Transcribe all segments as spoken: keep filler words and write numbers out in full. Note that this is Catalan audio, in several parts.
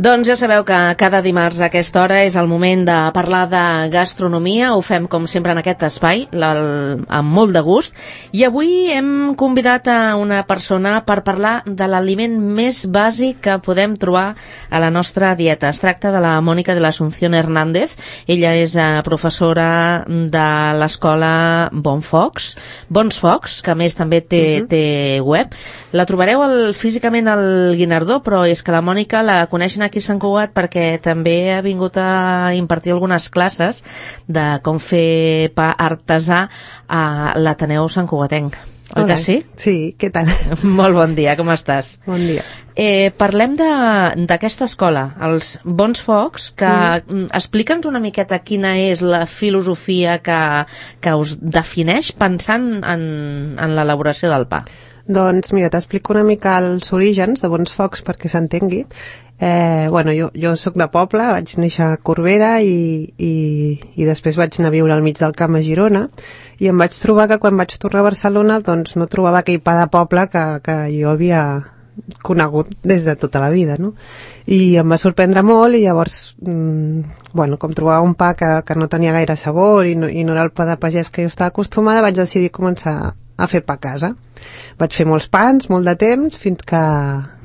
Doncs ja sabeu que cada dimarts a aquesta hora és el moment de parlar de gastronomia. Ho fem com sempre en aquest espai, amb molt de gust. I avui hem convidat a una persona per parlar de l'aliment més bàsic que podem trobar a la nostra dieta. Es tracta de la Mònica de l'Asunción Hernández. Ella és professora de l'escola Bonfocs, Bons Focs, que a més també té, uh-huh. té web. La trobareu el, físicament al Guinardó, però és que la Mònica la coneixen aquí a Sant Cugat perquè també ha vingut a impartir algunes classes de com fer pa artesà a l'Ateneu Sant Cugatenc. Oi que sí? Sí, què tal? Molt bon dia, com estàs? Bon dia. Eh, parlem d'aquesta escola, els Bons Focs, que mm. explica'ns una miqueta quina és la filosofia que, que us defineix pensant en, en l'elaboració del pa. Doncs mira, t'explico una mica els orígens de Bons Focs perquè s'entengui. Eh, bueno, jo, jo soc de poble, vaig néixer a Corbera i, i, i després vaig anar a viure al mig del camp a Girona i em vaig trobar que quan vaig tornar a Barcelona doncs no trobava aquell pa de poble que, que jo havia conegut des de tota la vida, no? I em va sorprendre molt i llavors, mmm, bueno, com trobava un pa que, que no tenia gaire sabor i no, i no era el pa de pagès que jo estava acostumada, vaig decidir començar a fer pa a casa. Vaig fer molts pans, molt de temps, fins que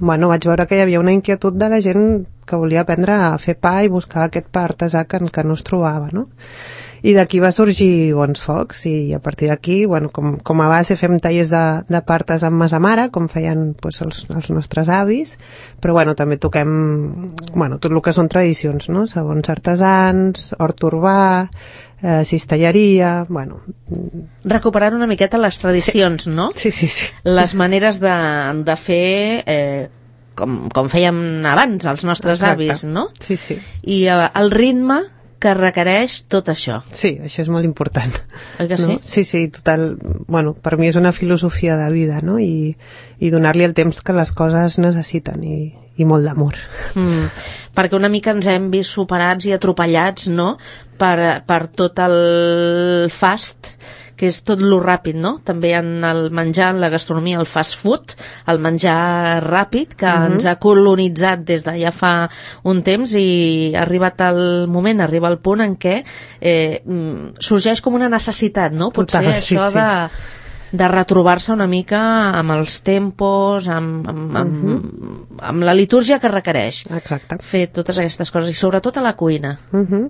bueno, vaig veure que hi havia una inquietud de la gent que volia aprendre a fer pa i buscar aquest pa artesà que, que no es trobava, no? I d'aquí va sorgir Bons Focs i a partir d'aquí, bueno, com, com a base fem tallers de, de pa artesà amb massa mare, com feien pues, els, els nostres avis, però bueno, també toquem bueno, tot el que són tradicions, no? Sabons artesans, hort urbà, Eh, cistelleria, bueno... Recuperar una miqueta les tradicions, sí. no? Sí, sí, sí. Les maneres de, de fer eh, com, com fèiem abans els nostres Exacte. Avis, no? Sí, sí. I eh, el ritme que requereix tot això. Sí, això és molt important. Oi que sí? No? Sí, sí, total... Bueno, per mi és una filosofia de vida, no? I, i donar-li el temps que les coses necessiten i, i molt d'amor. Mm, perquè una mica ens hem vist superats i atropellats, no?, per, per tot el fast, que és tot lo ràpid, no? També en el menjar, en la gastronomia, el fast food, el menjar ràpid, que uh-huh. ens ha colonitzat des de ja fa un temps i ha arribat el moment, arriba el punt en què eh, sorgeix com una necessitat, no? Potser Total, això sí, sí. de... de retrobar-se una mica amb els tempos, amb, amb, amb, uh-huh. amb la litúrgia que requereix. Exacte. Fer totes aquestes coses, i sobretot a la cuina. Uh-huh.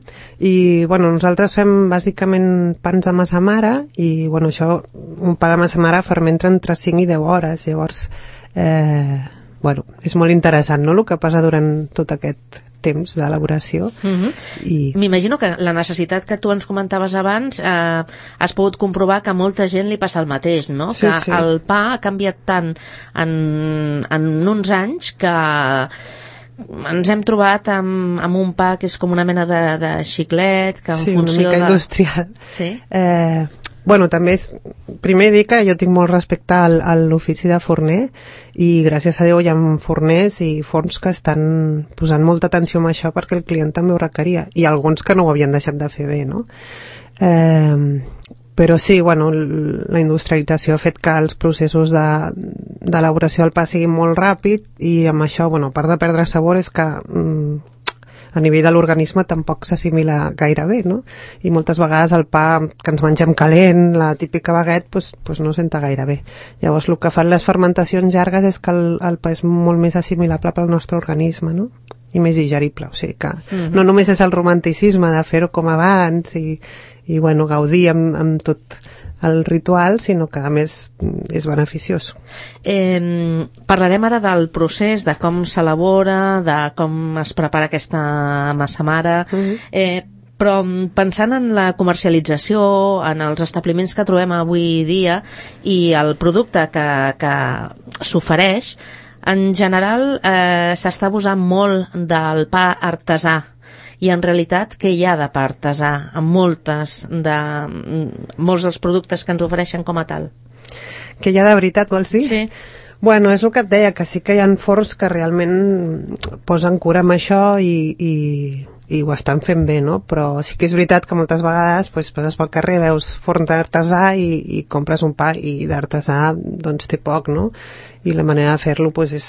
I, bueno, nosaltres fem bàsicament pans de massa mare, i, bueno, això, un pa de massa mare fermenta entre cinc i deu hores, llavors, eh, bueno, és molt interessant, no?, el que passa durant tot aquest temps d'elaboració. Uh-huh. I... M'imagino que la necessitat que tu ens comentaves abans eh, has pogut comprovar que a molta gent li passa el mateix, no? Sí, que sí. el pa ha canviat tant en, en uns anys que ens hem trobat amb, amb un pa que és com una mena de, de xiclet, que en sí, funció una mica de... industrial. Sí. Eh, bueno, també és... Primer dir que jo tinc molt respecte al, a l'ofici de forner i gràcies a Déu hi ha forners i forns que estan posant molta atenció amb això perquè el client també ho requeria i alguns que no ho havien deixat de fer bé, no? Eh, però sí, bueno, la industrialització ha fet que els processos d'elaboració de, del pa siguin molt ràpid i amb això, bueno, a part de perdre sabor és que mm, a nivell de l'organisme tampoc s'assimila gaire bé, no? I moltes vegades el pa que ens mengem calent, la típica baguette, pues, pues no senta gaire bé. Llavors el que fan les fermentacions llargues és que el, el pa és molt més assimilable pel nostre organisme, no? I més digerible, o sigui que mm-hmm. no només és el romanticisme de fer-ho com abans i, i bueno, gaudir amb, amb tot el ritual, sinó que a més és beneficiós. Eh, parlarem ara del procés, de com s'elabora, de com es prepara aquesta massa mare, uh-huh. eh, però pensant en la comercialització, en els establiments que trobem avui dia i el producte que, que s'ofereix, en general eh, s'està abusant molt del pa artesà. I en realitat què hi ha de pa artesà amb moltes de, molts dels productes que ens ofereixen com a tal? Què hi ha de veritat, vols dir? Sí. Bueno, és el que et deia, que sí que hi ha forns que realment posen cura amb això i, i, i ho estan fent bé, no? Però sí que és veritat que moltes vegades pues, passes pel carrer, veus forn d'artesà i, i compres un pa i d'artesà doncs té poc, no? I la manera de fer-lo pues, és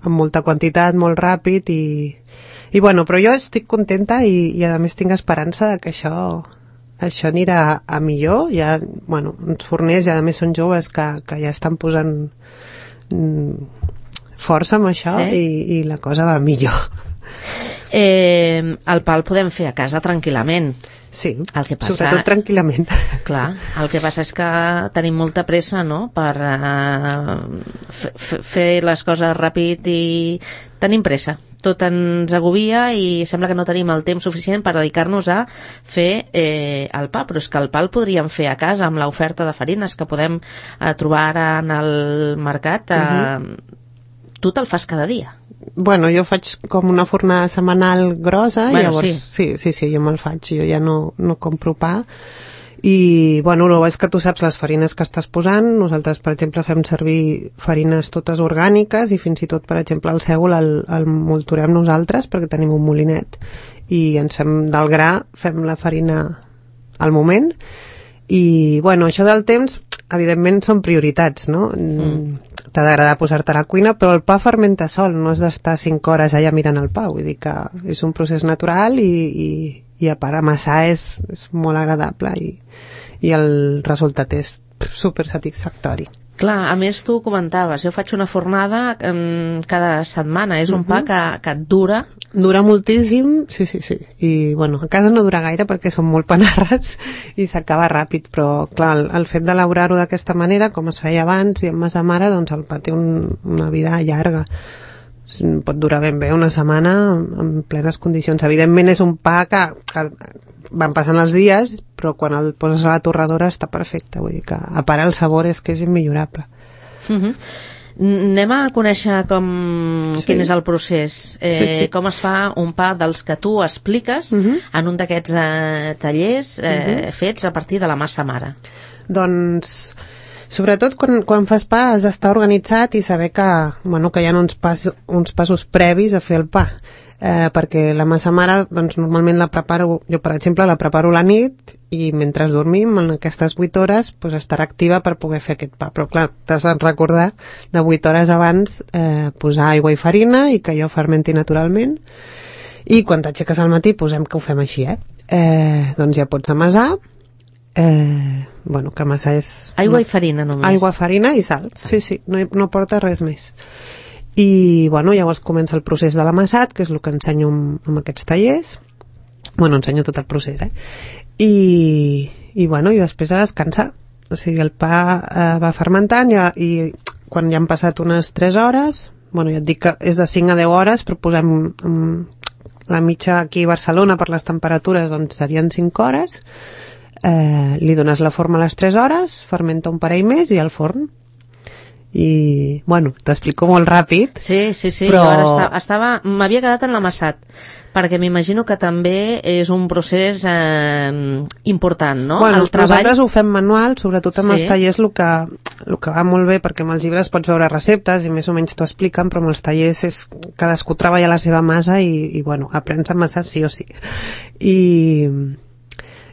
amb molta quantitat, molt ràpid i, i bueno, però jo estic contenta i, i a més tinc esperança de que això això anirà a, a millor. Ja, bueno, uns forners, i a més són joves que, que ja estan posant mm, força amb això, sí. i, i la cosa va millor. Eh, el pa el podem fer a casa tranquil·lament. Sí, el que passa, sobretot tranquil·lament. Clar, el que passa és que tenim molta pressa, no?, per uh, fer les coses ràpid i tenim pressa. Tot ens agobia i sembla que no tenim el temps suficient per dedicar-nos a fer eh, el pa, però és que el pa el podríem fer a casa amb l'oferta de farines que podem eh, trobar ara en el mercat. Eh, uh-huh. Tu te'l fas cada dia? Bueno, jo faig com una fornada setmanal grossa, bueno, i llavors sí. sí, sí, sí, jo me'l faig, jo ja no, no compro pa. I, bueno, el bo és que tu saps les farines que estàs posant. Nosaltres, per exemple, fem servir farines totes orgàniques i fins i tot, per exemple, el sègol el, el molturem nosaltres perquè tenim un molinet i ens fem del gra, fem la farina al moment. I, bueno, això del temps, evidentment, són prioritats, no? Mm. T'ha d'agradar posar-te a la cuina, però el pa fermenta sol, no has d'estar cinc hores allà mirant el pa, vull dir que és un procés natural i, i, i a part amassar és, és molt agradable i, i el resultat és super satisfactori. Clar, a més tu comentaves, jo faig una fornada um, cada setmana, és un uh-huh. pa que, que et dura. Dura moltíssim, sí, sí, sí. I, bueno, a casa no dura gaire perquè són molt panarres i s'acaba ràpid, però, clar, el, el fet d'elaborar-ho d'aquesta manera, com es feia abans i amb massa mare, doncs el pa té un, una vida llarga. Pot durar ben bé una setmana en plenes condicions. Evidentment és un pa que, que van passant els dies, però quan el poses a la torradora està perfecte, vull dir que a part el sabor és que és immillorable. Uh-huh. Anem a conèixer com, sí. quin és el procés, eh, sí, sí. com es fa un pa dels que tu expliques uh-huh. en un d'aquests eh, tallers eh, uh-huh. fets a partir de la massa mare. Doncs, sobretot quan, quan fas pa has d'estar organitzat i saber que, bueno, que hi ha uns, pas, uns passos previs a fer el pa. Eh, perquè la massa mare, doncs normalment la preparo, jo per exemple la preparo la nit i mentre dormim en aquestes vuit hores pues, estarà activa per poder fer aquest pa, però clar, t'has de recordar de vuit hores abans eh, posar aigua i farina i que allò fermenti naturalment i quan t'aixeques al matí posem que ho fem així, eh? Eh, doncs ja pots amassar. Eh, bueno, que amassar és... Aigua i farina només. Aigua, farina i sal, sal. sí, sí, no, no porta res més. I, bueno, llavors comença el procés de l'amassat, que és el que ensenyo amb, amb aquests tallers. Bueno, ensenyo tot el procés, eh? I, i bueno, i després a descansar. O sigui, el pa eh, va fermentant i, i quan ja han passat unes tres hores, bueno, ja et dic que és de cinc a deu hores, però posem um, la mitja aquí a Barcelona per les temperatures, doncs serien cinc hores. Eh, li dones la forma a les tres hores, fermenta un parell més i al forn. I, bueno, t'explico molt ràpid. Sí, sí, sí, però... jo ara estava, estava m'havia quedat en l'amassat, perquè m'imagino que també és un procés eh, important, no? Bueno, el treball... nosaltres ho fem manual, sobretot amb sí. els tallers el que, el que va molt bé, perquè amb els llibres pots veure receptes i més o menys t'ho expliquen, però amb els tallers és cadascú treballa la seva massa i, i bueno, aprens a amassar sí o sí. I...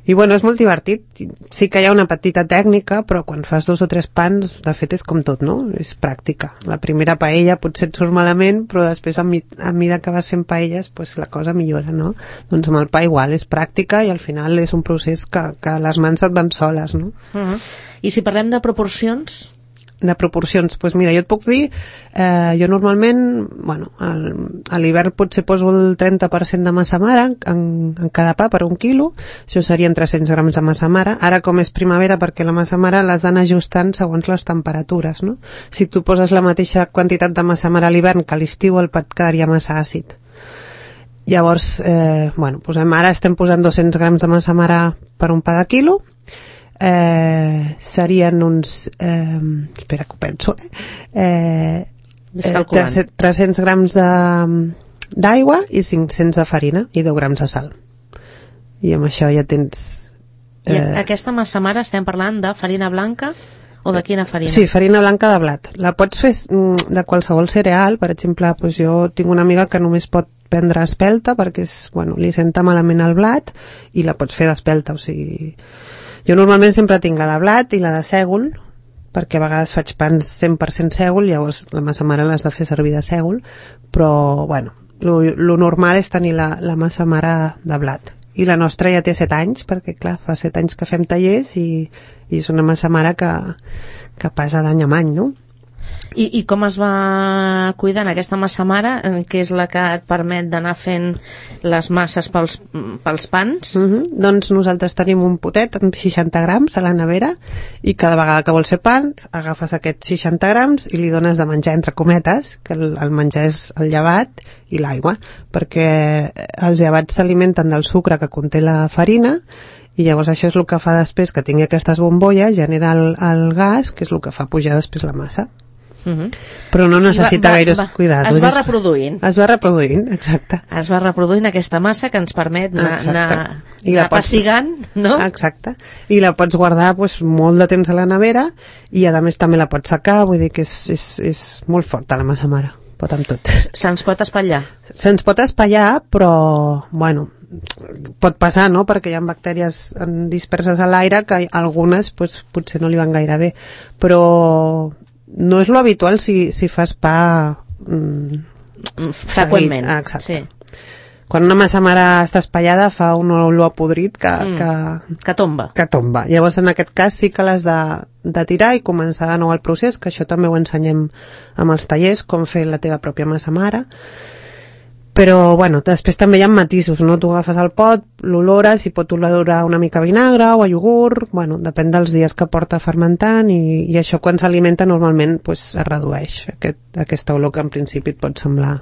I bueno, és molt divertit. Sí que hi ha una petita tècnica, però quan fas dos o tres pans, de fet és com tot, no? És pràctica. La primera paella potser et surt malament, però després a, mi, a mida que vas fent paelles, pues la cosa millora, no? Doncs amb el pa igual, és pràctica i al final és un procés que, que les mans et van soles, no? Uh-huh. I si parlem de proporcions? De proporcions, doncs mira, jo et puc dir, eh, jo normalment, bueno, al, a l'hivern potser poso el trenta per cent de massa mare en, en cada pa per un quilo, això serien tres-cents grams de massa mare. Ara com és primavera, perquè la massa mare l'has d'anar ajustant segons les temperatures, no? Si tu poses la mateixa quantitat de massa mare a l'hivern que a l'estiu, el pa et quedaria massa àcid. Llavors, eh, bueno, posem, ara estem posant dos-cents grams de massa mare per un pa de quilo. Eh, serien uns eh, espera que ho penso eh, eh, tres-cents grams d'aigua i cinc-cents de farina i deu grams de sal i amb això ja tens eh... I aquesta massa mare estem parlant de farina blanca o de quina farina? Sí, farina blanca de blat. La pots fer de qualsevol cereal, per exemple, doncs jo tinc una amiga que només pot prendre espelta perquè és, bueno, li senta malament el blat i la pots fer d'espelta, o sigui... Jo normalment sempre tinc la de blat i la de sègol perquè a vegades faig pans cent per cent sègol, llavors la massa mare l'has de fer servir de sègol, però, bueno, lo, lo normal és tenir la, la massa mare de blat. I la nostra ja té set anys, perquè, clar, fa set anys que fem tallers i, i és una massa mare que, que passa d'any en any, no? I, I com es va cuidant aquesta massa mare, que és la que et permet d'anar fent les masses pels, pels pans? Uh-huh. Doncs nosaltres tenim un potet amb seixanta grams a la nevera i cada vegada que vols fer pans agafes aquests seixanta grams i li dones de menjar entre cometes, que el, el menjar és el llevat i l'aigua, perquè els llevats s'alimenten del sucre que conté la farina i llavors això és el que fa després que tingui aquestes bombolles, genera el, el gas, que és el que fa pujar després la massa. Uh-huh. Però no necessita va, va, gaires va, cuidados. Es va reproduint. Es va reproduint, exacte. Es va reproduint aquesta massa que ens permet anar, anar, I anar pots... passigant, no? Exacte. I la pots guardar pues, molt de temps a la nevera i a més també la pots secar, vull dir que és, és, és molt forta la massa mare. Pot amb tot. Se'ns pot espatllar? Se'ns pot espatllar, però, bueno, pot passar, no?, perquè hi ha bactèries disperses a l'aire que algunes pues, potser no li van gaire bé, però no és lo habitual si, si fas pa mm, freqüentment. Ah, exacte. Sí. Quan una massa mare està espaiada fa un olor podrit que, mm, que, que tomba. Que tomba. Llavors en aquest cas sí que l'has de, de tirar i començar de nou el procés, que això també ho ensenyem amb els tallers, com fer la teva pròpia massa mare. Però, bueno, després també hi ha matisos, no? Tu agafes el pot, l'olores, i pot olorar una mica a vinagre o a iogurt, bueno, depèn dels dies que porta fermentant i, i això quan s'alimenta normalment pues, es redueix, aquest, aquesta olor que en principi et pot semblar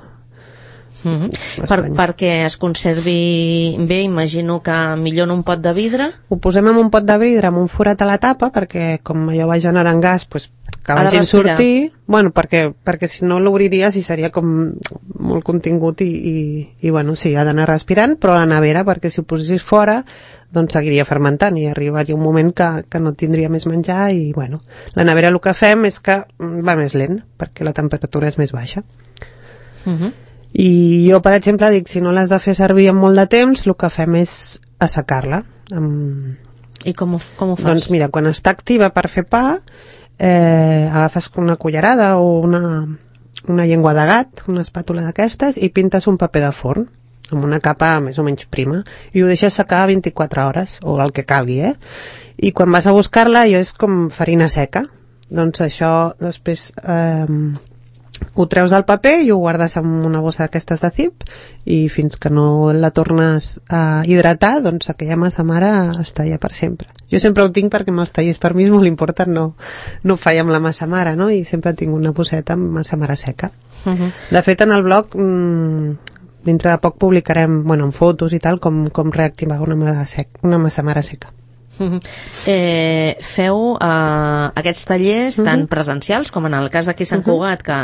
mm-hmm. per, perquè es conservi bé, imagino que millor en un pot de vidre. Ho posem en un pot de vidre amb un forat a la tapa perquè com allò va generant gas pues, que vagin sortir, bueno, perquè, perquè si no l'obriries i seria com molt contingut i, i, i bueno, sí, ha d'anar respirant, però a la nevera, perquè si ho posessis fora, doncs seguiria fermentant i arribaria un moment que, que no tindria més menjar i, bueno, la nevera el que fem és que va més lent, perquè la temperatura és més baixa. Uh-huh. I jo, per exemple, dic, si no l'has de fer servir en molt de temps, el que fem és assecar-la. Amb... I com ho, com ho fas? Doncs mira, quan està activa per fer pa, eh, agafes una cullerada o una, una llengua de gat, una espàtula d'aquestes, i pintes un paper de forn amb una capa més o menys prima i ho deixes secar vint-i-quatre hores o el que calgui, eh? I quan vas a buscar-la jo és com farina seca, doncs això després eh, ho treus del paper i ho guardes en una bossa d'aquestes de zip i fins que no la tornes a hidratar, doncs aquella massa mare està ja per sempre. Jo sempre ho tinc perquè amb els tallers per mi és molt important, no, no faig amb la massa mare, no? I sempre tinc una bosseta amb massa mare seca. Uh-huh. De fet, en el blog mmm, dintre de poc publicarem, bueno, en fotos i tal, com, com reactivar una, mare sec, una massa mare seca. Uh-huh. Eh, feu uh, aquests tallers uh-huh. tant presencials com en el cas d'aquí Sant Cugat, que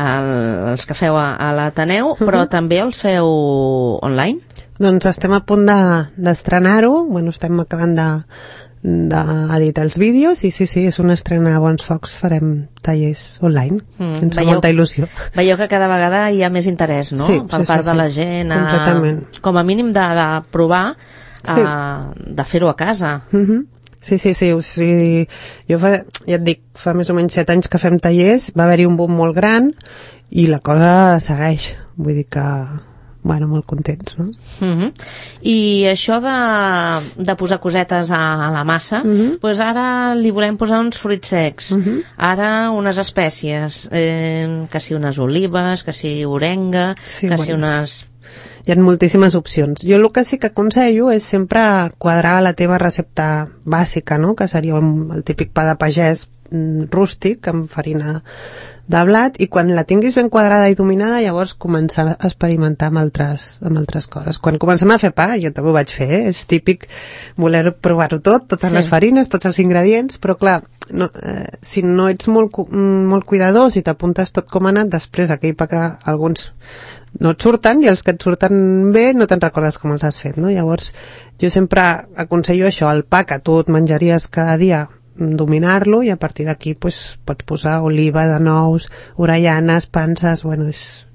el, els que feu a, a l'Ateneu, uh-huh. però també els feu online? Doncs estem a punt de, d'estrenar-ho, bueno, estem acabant de d'editar els vídeos i sí, sí, és una estrena a Bons Focs, farem tallers online, mm, ens fa veieu, molta il·lusió. Veieu que cada vegada hi ha més interès, no? Sí, per sí, part sí, de sí. la gent, a, completament. Com a mínim de, de provar sí. a, de fer-ho a casa. Mm-hmm. Sí, sí, sí, o sigui, jo fa, ja et dic, fa més o menys set anys que fem tallers, va haver-hi un boom molt gran i la cosa segueix, vull dir que bueno, molt contents, no? Uh-huh. I això de, de posar cosetes a, a la massa, uh-huh. doncs ara li volem posar uns fruits secs, uh-huh. ara unes espècies, eh, que si unes olives, que si orenga, sí, que bueno, si unes... Hi ha moltíssimes opcions. Jo el que sí que aconsello és sempre quadrar la teva recepta bàsica, no? Que seria el típic pa de pagès rústic amb farina de blat, i quan la tinguis ben quadrada i dominada llavors començar a experimentar amb altres, amb altres coses. Quan comencem a fer pa, jo també ho vaig fer, eh? És típic voler provar-ho tot, totes sí. les farines, tots els ingredients, però clar, no, eh, si no ets molt, molt cuidadós i t'apuntes tot com ha anat, després aquell pa que alguns no et surten i els que et surten bé no te'n recordes com els has fet, no? Llavors jo sempre aconsello això, el pa que tu et menjaries cada dia, dominar-lo, i a partir d'aquí pues, pots posar oliva de nous, orellanes, panses, bueno, és,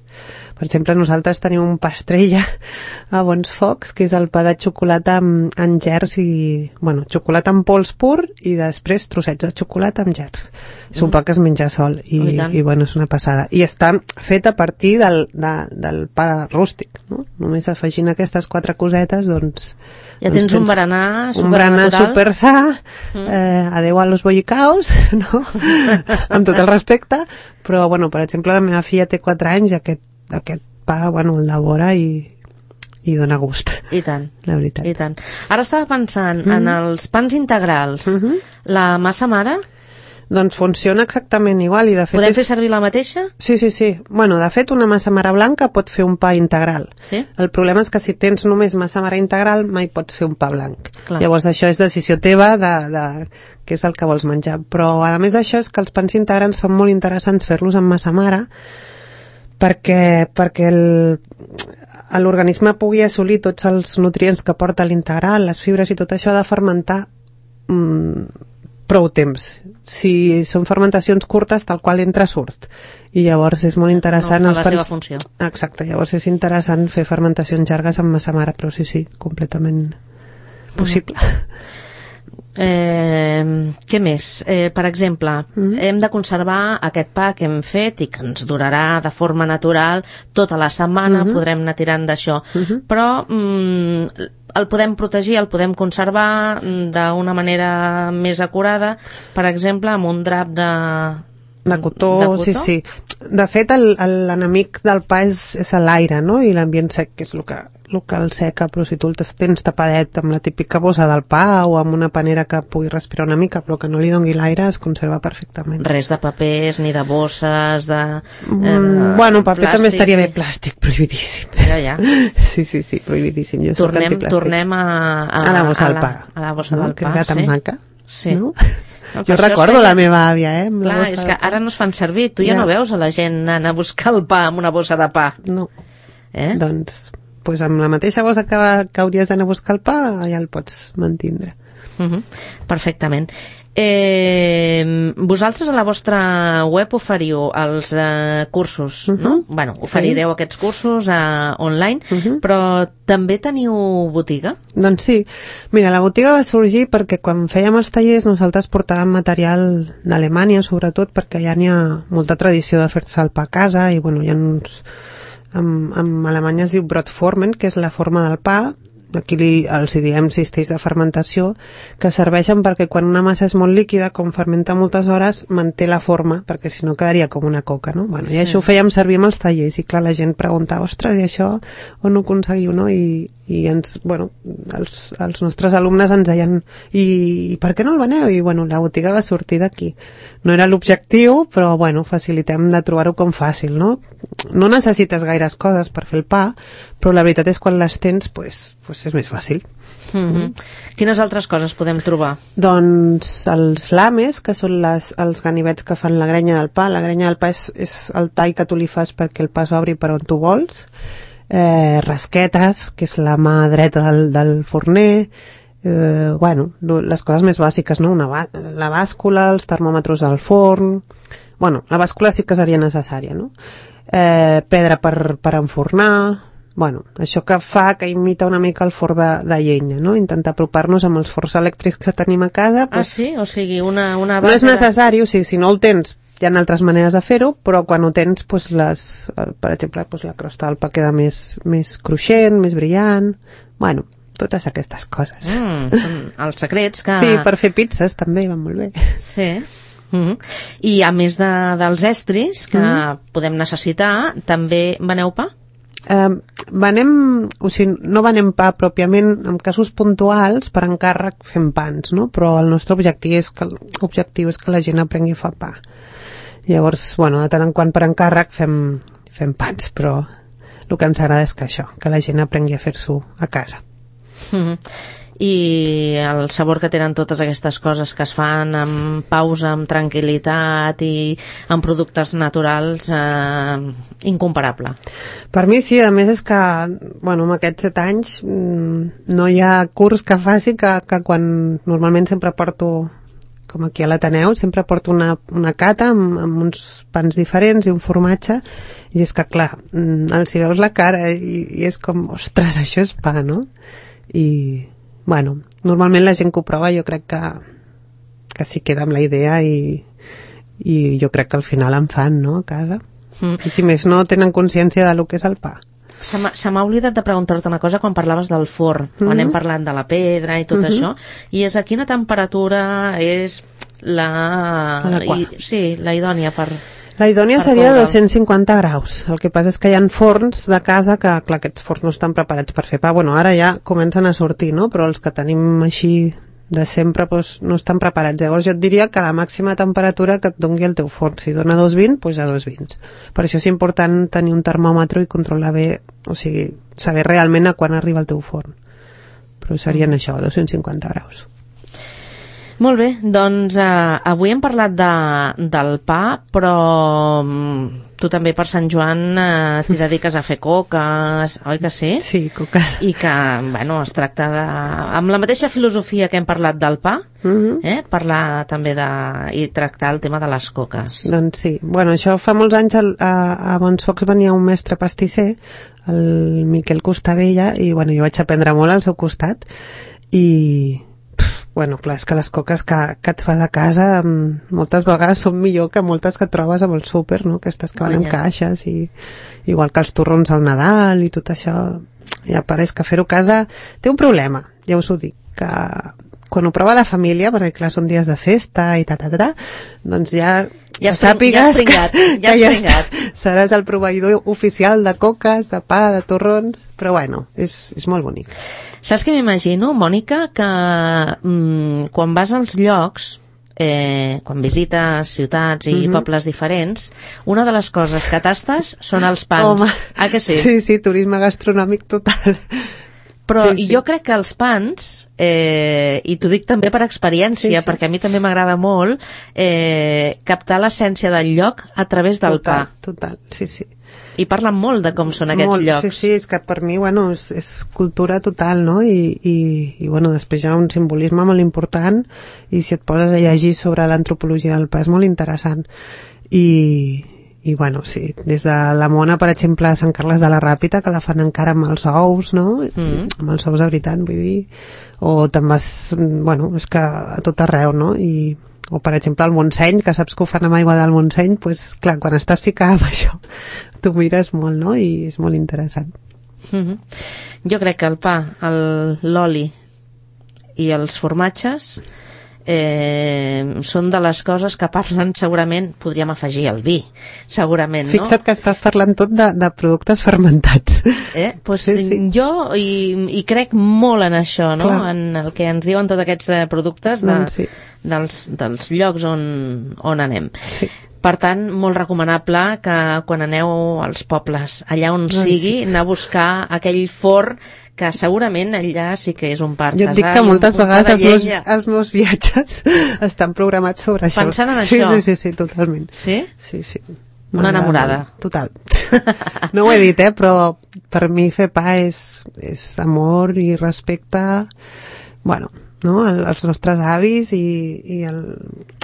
Per exemple, nosaltres tenim un pa estrella a Bons Focs, que és el pa de xocolata amb, amb gers i, bueno, xocolata amb pols pur i després trossets de xocolata amb gers. Mm. És un pa que es menja sol i, oh, i, i bueno, és una passada. I està fet a partir del, de, del pa rústic, no? Només afegint aquestes quatre cosetes, doncs... Ja tens, doncs tens un berenar supernatural. Un berenar super sa, mm. eh, adeu a los bollicaos, no? Amb tot el respecte, però, bueno, per exemple, la meva filla té quatre anys i aquest, aquest pa, bueno, el devora i, i dona gust. I tant. La veritat. I tant. Ara estava pensant mm. en els pans integrals. Mm -hmm. La massa mare... Doncs funciona exactament igual i de fet... Podem és... fer servir la mateixa? Sí, sí, sí. Bueno, de fet una massa mare blanca pot fer un pa integral. Sí? El problema és que si tens només massa mare integral mai pots fer un pa blanc. Clar. Llavors això és decisió teva de, de què és el que vols menjar. Però a més d'això és que els pans integrals són molt interessants fer-los amb massa mare perquè, perquè el... l'organisme pugui assolir tots els nutrients que porta l'integral, les fibres i tot això ha de fermentar mmm, prou temps. Si són fermentacions curtes, tal qual entra, surt. I llavors és molt interessant... No fa la seva funció. Exacte, llavors és interessant fer fermentacions llargues amb massa mare, però sí, sí, completament possible. Eh, què més? Eh, per exemple, mm. hem de conservar aquest pa que hem fet i que ens durarà de forma natural tota la setmana, mm-hmm. podrem anar tirant d'això. Mm-hmm. Però... Mm, el podem protegir, el podem conservar d'una manera més acurada, per exemple, amb un drap de... De cotó, de cotó? Sí, sí. De fet, l'enemic del pa és, és l'aire, no? I l'ambient sec, que és el que, el que el seca, però si tu el tens tapadet amb la típica bossa del pa o amb una panera que pugui respirar una mica, però que no li doni l'aire, es conserva perfectament. Res de papers, ni de bosses, de... Eh, mm, bueno, paper plàstic, també estaria bé, plàstic, prohibidíssim. Ja, ja. Sí, sí, sí, prohibidíssim. Jo tornem, tornem a, a... A la bossa del pa. A la bossa no? del pa, sí. Que tan maca. Sí. No? No, jo recordo la meva àvia, eh? Clar, és que ara no es fan servir. Tu ja, ja no veus a la gent anar a buscar el pa amb una bossa de pa. No. Eh? Doncs, pues amb la mateixa bossa que, que hauries d'anar a buscar el pa, ja el pots mantindre. Uh-huh. Perfectament. Eh, vosaltres a la vostra web oferiu els eh, cursos, uh-huh. no? Bueno, oferireu sí. aquests cursos eh, online, uh-huh. però també teniu botiga? Doncs sí. Mira, la botiga va sorgir perquè quan fèiem els tallers nosaltres portàvem material d'Alemanya, sobretot perquè ja n'hi ha molta tradició de fer-se el pa a casa i, bueno, hi ha uns... En, en Alemanya es diu Brotformen, que és la forma del pa. Aquí li, els hi diem cistells de fermentació, que serveixen perquè quan una massa és molt líquida, com fermenta moltes hores, manté la forma, perquè si no quedaria com una coca, no? Bueno, i això ho fèiem servir amb els tallers, i clar, la gent preguntava, ostres, i això on ho aconseguiu, no? I, i ens, bueno, els, els nostres alumnes ens deien, i, i per què no el veneu? I bueno, la botiga va sortir d'aquí. No era l'objectiu, però bueno, facilitem de trobar-ho com fàcil, no? No necessites gaires coses per fer el pa, però la veritat és quan les tens, pues, pues és més fàcil. Mm-hmm. Mm. Quines altres coses podem trobar? Doncs els lames, que són les, els ganivets que fan la grenya del pa. La grenya del pa és, és el tall que tu li fas perquè el pa s'obri per on tu vols. Eh, rasquetes, que és la mà dreta del, del forner. Eh, bueno, les coses més bàsiques, no? Una, la bàscula, els termòmetres del forn... Bueno, la bàscula sí que seria necessària, no? Eh, pedra per, per enfornar... Bueno, això que fa que imita una mica el forn de, de llenya, no? Intentar apropar-nos amb els forns elèctrics que tenim a casa. Pues, ah, sí? O sigui, una, una base... No és necessari, o sigui, si no el tens, hi ha altres maneres de fer-ho, però quan ho tens, pues, les, per exemple, pues, la crosta del pa queda més, més cruixent, més brillant... Bueno, totes aquestes coses. Mm, són els secrets que... Sí, per fer pizzas també van molt bé. Sí. Mm-hmm. I a més de, dels estris que mm. podem necessitar, també veneu pa? Eh, venem, o sigui, no venem pa pròpiament, en casos puntuals per encàrrec fem pans, no? Però el nostre objectiu és que, objectiu és que la gent aprengui a fer pa. Llavors, bueno, de tant en quant per encàrrec fem, fem pans, però el que ens agrada és que això, que la gent aprengui a fer-s'ho a casa. Mm-hmm. I el sabor que tenen totes aquestes coses que es fan amb pausa, amb tranquil·litat i amb productes naturals, eh, incomparable. Per mi sí, a més és que, bueno, amb aquests set anys no hi ha curs que faci que, que quan normalment sempre porto com aquí a l'Ateneu, sempre porto una, una cata amb, amb uns pans diferents i un formatge, i és que, clar, els hi veus la cara i, i és com, ostres, això és pa, no? I, bueno, normalment la gent que ho prova jo crec que, que s'hi queda amb la idea i, i jo crec que al final en fan, no?, a casa. Mm. I si més no, tenen consciència de lo que és el pa. Se m'ha oblidat de preguntar-te una cosa quan parlaves del forn, quan mm-hmm. hem parlat de la pedra i tot mm-hmm. això, i és a quina temperatura és la... I, sí, la idònia per... La idònia per seria dos-cents cinquanta graus. El que passa és que hi ha forns de casa que, clar, aquests forns no estan preparats per fer pa. Bueno, ara ja comencen a sortir, no? Però els que tenim així de sempre doncs, no estan preparats. Llavors jo et diria que la màxima temperatura que et doni el teu forn, si dona dos vint, doncs a dos vint. Per això és important tenir un termòmetre i controlar bé, o sigui, saber realment a quan arriba el teu forn. Però serien mm. això, dos-cents cinquanta graus. Molt bé, doncs eh, avui hem parlat de, del pa, però tu també per Sant Joan eh, t'hi dediques a fer coques, oi que sí? Sí, coques. I que, bueno, es tracta de... amb la mateixa filosofia que hem parlat del pa, mm-hmm. eh, parlar també de... i tractar el tema de les coques. Doncs sí. Bueno, això fa molts anys a, a, a Bons Focs venia un mestre pastisser, el Miquel Costabella, i bueno, jo vaig aprendre molt al seu costat, i... bueno, clar, és que les coques que, que et fas a casa moltes vegades són millor que moltes que trobes amb el súper, no? Aquestes que van en caixes, i igual que els torrons al Nadal i tot això, ja pareix que fer-ho a casa té un problema, ja us ho dic, que quan ho prova la família, perquè clar, són dies de festa i ta, ta, ta, ta, doncs ja, ja, sàpigues ja pringat, que, ja que ja seràs el proveïdor oficial de coques, de pa, de torrons, però bueno, és, és molt bonic. Saps què m'imagino, Mònica, que mm, quan vas als llocs, eh, quan visites ciutats i mm-hmm. pobles diferents, una de les coses que tastes són els pans. Home, ah, que sí? Sí, sí, turisme gastronòmic total. Però sí, sí. jo crec que els pans, eh, i t'ho dic també per experiència, sí, sí. perquè a mi també m'agrada molt, eh, captar l'essència del lloc a través del total, pa. Total, sí, sí. I parlen molt de com són aquests molt, llocs. Sí, sí, és que per mi, bueno, és, és cultura total, no? I, i, i bueno, després hi ha un simbolisme molt important, i si et poses a llegir sobre l'antropologia del pa és molt interessant. I, i bueno, sí, des de la Mona, per exemple, a Sant Carles de la Ràpita, que la fan encara amb els ous, no? Mm. Amb els ous de veritat, vull dir. O te'n vas, bueno, és que a tot arreu, no? I o per exemple el Montseny, que saps que ho fan amb aigua del Montseny, pues, clar, quan estàs ficada amb això t'ho mires molt, no? I és molt interessant. Mm-hmm. Jo crec que el pa, l'oli i els formatges eh, són de les coses que parlen, segurament podríem afegir el vi, segurament, no? Fixa't que estàs parlant tot de, de productes fermentats. Eh? Pues sí, sí. Jo hi, hi crec molt en això, no? Clar. En el que ens diuen tots aquests eh, productes de, doncs sí. dels, dels llocs on, on anem. Sí. Per tant, molt recomanable que quan aneu als pobles, allà on Ai, sigui, sí. anar a buscar aquell forn que segurament allà sí que és un pa artesà. Jo et dic que moltes vegades els meus, els meus viatges estan programats sobre això. Pensant en sí, això? Sí, sí, sí, totalment. Sí? Sí, sí. Una enamorada. Total. No ho he dit, eh, però per mi fer pa és, és amor i respecte, bueno, no? Els nostres avis i, i el,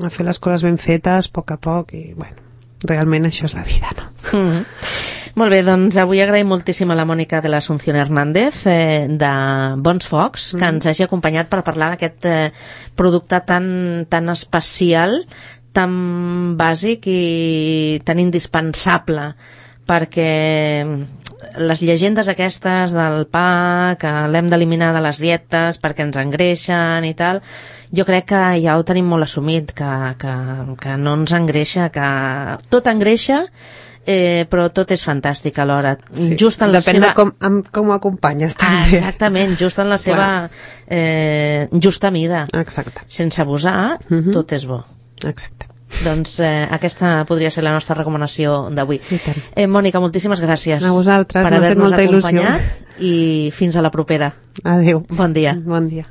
a fer les coses ben fetes a poc a poc i bueno, realment això és la vida, no? Mm-hmm. Molt bé, doncs avui agraïm moltíssim a la Mònica de l'Asunción Hernández eh, de Bons Focs, que mm. ens hagi acompanyat per parlar d'aquest eh, producte tan, tan especial, tan bàsic i tan indispensable, perquè les llegendes aquestes del pa, que l'hem d'eliminar de les dietes perquè ens engreixen i tal, jo crec que ja ho tenim molt assumit, que, que, que no ens engreixa, que tot engreixa, eh, però tot és fantàstic alhora. Sí, just en la depèn seva... de com, amb, com ho acompanyes també. Ah, exactament, just en la seva eh, justa mida. Exacte. Sense abusar, uh-huh. tot és bo. Exacte. Doncs eh, aquesta podria ser la nostra recomanació d'avui. Eh, Mònica, moltíssimes gràcies a vosaltres, per haver-nos acompanyat il·lusió. I fins a la propera. Adéu. Bon dia. Bon dia.